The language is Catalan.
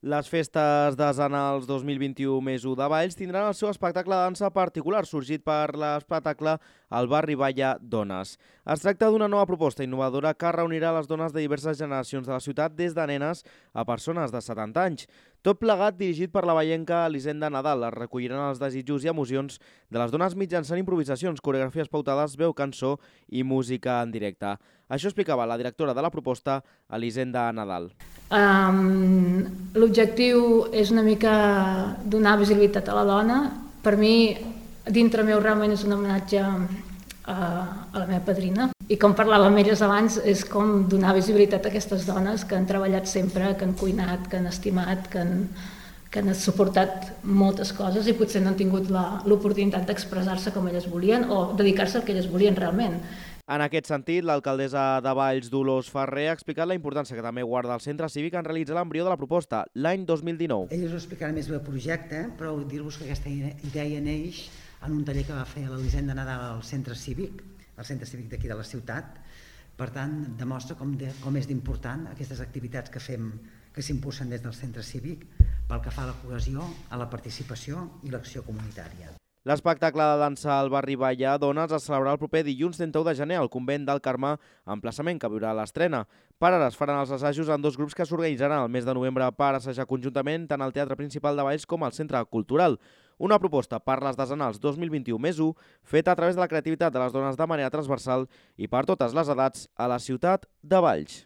Les festes desenals 2021 més 1 de Valls tindran el seu espectacle de dansa particular, sorgit per l'espectacle al barri Balla Dones. Es tracta d'una nova proposta innovadora que reunirà les dones de diverses generacions de la ciutat, des de nenes a persones de 70 anys. Tot plegat dirigit per la vallenca Elisenda Nadal. Es recolliran els desitjos i emocions de les dones mitjançant improvisacions, coreografies pautades, veu, cançó i música en directe. Això explicava la directora de la proposta, Elisenda Nadal. L'objectiu és una mica donar visibilitat a la dona. Per mi, dintre meu, realment és un homenatge a la meva padrina. I com parlava amb elles abans, és com donar visibilitat a aquestes dones que han treballat sempre, que han cuinat, que han estimat, que han suportat moltes coses i potser no han tingut l'oportunitat d'expressar-se com elles volien o dedicar-se al que elles volien realment. En aquest sentit, l'alcaldessa de Valls, Dolors Ferrer, ha explicat la importància que també guarda el centre cívic en realitzar l'embrió de la proposta, l'any 2019. Ella us explicarà més bé el projecte, però dir-vos que aquesta idea neix en un taller que va fer l'Elisenda Nadal al centre cívic, el centre cívic d'aquí de la ciutat. Per tant, demostra com és d'important aquestes activitats que fem, que s'impulsen des del centre cívic pel que fa a la cohesió, a la participació i l'acció comunitària. L'espectacle de dansa al barri Balla Dones es celebrarà el proper dilluns 31 de gener al convent del Carmar, emplaçament que viurà l'estrena. Per ara es faran els assajos en 2 grups que s'organitzaran el mes de novembre per assajar conjuntament tant al Teatre Principal de Valls com al Centre Cultural. Una proposta per les desenals 2021 més 1 feta a través de la creativitat de les dones de manera transversal i per totes les edats a la ciutat de Valls.